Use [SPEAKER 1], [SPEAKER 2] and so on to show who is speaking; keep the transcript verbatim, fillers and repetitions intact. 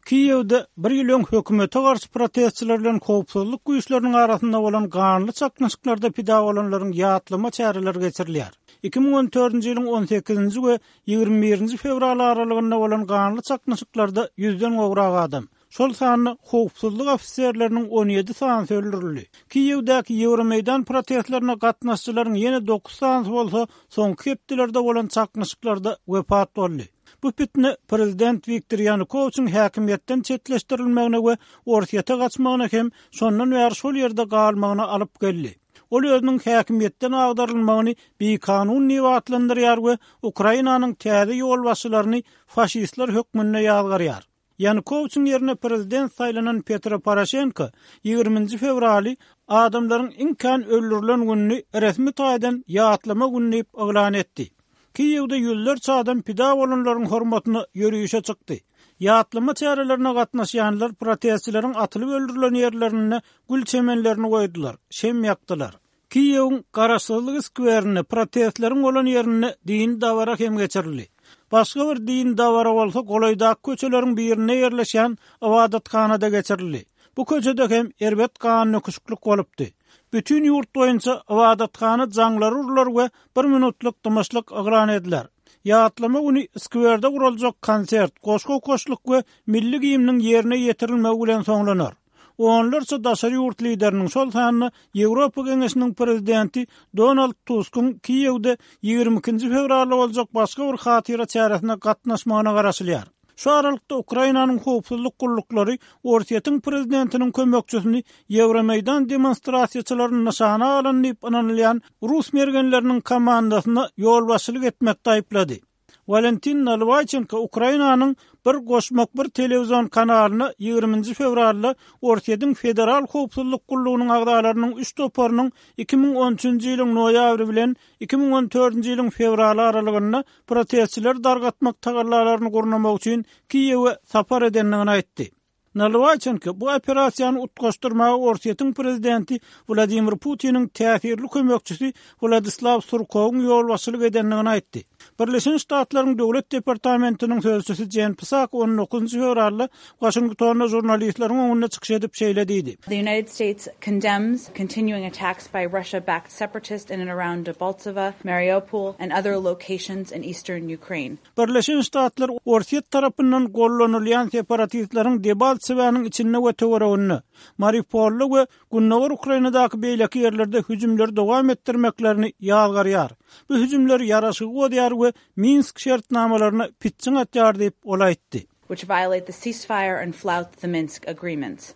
[SPEAKER 1] Kiýewde bir ýyl öň hökümete garşy protestçiler bilen howpsuzlyk güýçleriniň arasynda bolan ganly çaknyşyklarda pida bolanlaryň ýatlama çäreleri geçirilýär. iki müň on dördünji ýylyň on sekizinji we ýigrimi birinji fewral aralygynda bolan ganly çaknyşyklarda ýüzden gowrak adam, şol sanda howpsuzlyk ofiserleriniň on ýedi sanysy öldürildi. Kiýewdäki Ýewromeýdan protestlerine gatnaşyjylaryň ýene dokuz sanysy bolsa soňky hepdelerde bolan çaknyşyklarda wepat boldy. Bu pitne prezident Wiktor Ýanukowiçiň häkimiýetden çetleşdirilmegine we Orsýete gaçmagyna hem şondan bäri şol ýerde galmagyna alyp geldi. Ol özüniň häkimiýetden agdarylmagyny bikanun diýip atlandyrýar we Ukrainanyň täze ýolbaşçylaryny faşistler hökmünde ýazgarýar. Ýanukowiçiň ýerine prezident saýlanan Petro Poroşenko ýigriminji fewraly, adamlaryň iň kän öldürilen gününi resmi taýdan ýatlama güni diýip yglan etdi. Kiýewde ýüzlerçe adam pida bolanlaryň hormatyna ýörişe çykdy. Ýatlama çärelerine gatnaşýanlar protestçileriň atylyp öldürilen ýerlerinde gül çemenlerini goýdular, şem ýakdylar. Kiýewiň Garaşsyzlyk skwerinde, protestleriň bolan ýerinde dini dabara hem geçirildi. Başga bir dini dabara bolsa golaýdaky köçeleriň birinde ýerleşen ybadathanada geçirildi. Bu köçede hem erbet gan döküşiklik bolupdy. Bütün ýurt boýunça ybadathana jaňlary urular we bir minutlyk dymyşlyk yglan ediler. Ýatlama güni skwerde guraljak konsert, goşgy okaşlyk we milli gimniň ýerine ýetirilmegi bilen soňlanar. Onlarça daşary ýurt lideriniň, şol sanda Ýewropa Geňeşiniň prezidenti Donald Tuskyň Kiýewde ýigrimi ikinji fewralda boljak başga bir hatyra çäresine gatnaşmagyna garaşylýar. Şu aralykda Ukrainanyň howpsuzlyk gulluklary Orsýetiň prezidentiniň kömekçisini Ýewromeýdan demonstrasiýaçylaryny nyşana alan diýip ynanylýan rus mergenleriniň komandasyna ýolbaşçylyk etmekde aýyplady. Walentin Nalwaýçenko Ukrainanyň bir goşmak bir telewizion kanalyna ýigriminji fewralda Orsýetiň Federal howpsuzlyk gullugynyň agzalarynyň üç toparynyň iki müň on üçünji ýylyň noýabry bilen iki müň on dördünji ýylyň fewraly aralygynda protestçileri dargatmak tagallalaryny gurnamak üçin Kiýewe sapar edendigini aýtdy. Nalwaýçenko bu operasiýany utgaşdyrmaga Orsýetiň prezidenti Wladimir Putiniň täsirli kömekçisi Wladislaw Surkowyň ýolbaşçylyk edendigini aýtdy. Birleşen Ştatlaryň Döwlet departamentiniň sözçüsi Jen Psaki on dokuzynjy fewralda Waşingtonda žurnalistleriň öňünde çykyş edip şeýle diýdi.
[SPEAKER 2] The United States condemns continuing attacks by Russia-backed separatists in and around Debaltseve, Mariupol, and other locations in eastern Ukraine.
[SPEAKER 1] Birleşen Ştatlar Orsýet tarapyndan gollanylýan separatistleriň Debaltsewanyň içinde we töwereginde, Mariupolda we Gündogar Ukrainadaky beýleki ýerlerde hüjümleri dowam etdirmeklerini ýazgarýar. Bu hüjümler ýaraşygy bozýar we Minsk şertnamalaryna pitjiň atýar diýip ol aýtdy.
[SPEAKER 2] Which violate the ceasefire and flout the Minsk agreements.